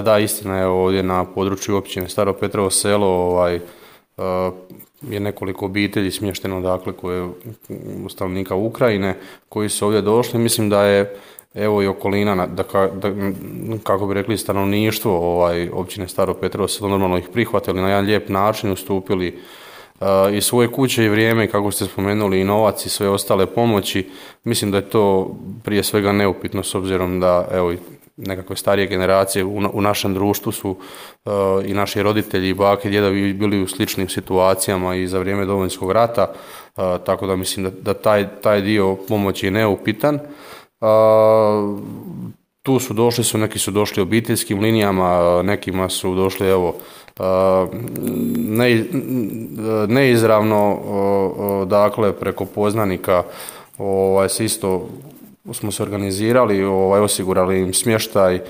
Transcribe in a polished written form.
da, istina je, ovdje na području općine Staro Petrovo Selo je nekoliko obitelji smješteno, dakle, stanovnika Ukrajine koji su ovdje došli. Mislim da je evo i okolina, kako bi rekli, stanovništvo općine Staro Petrovo Selo normalno ih prihvatili na jedan lijep način, ustupili i svoje kuće i vrijeme, kako ste spomenuli, i novac i sve ostale pomoći. Mislim da je to prije svega neupitno, s obzirom da evo i nekakve starije generacije u našem društvu su i naši roditelji i bake i djedovi bili u sličnim situacijama i za vrijeme Domovinskog rata, tako da mislim da taj dio pomoći je neupitan. Tu su došli, neki su došli obiteljskim linijama, nekima su došli neizravno, dakle preko poznanika se isto smo se organizirali, osigurali im smještaj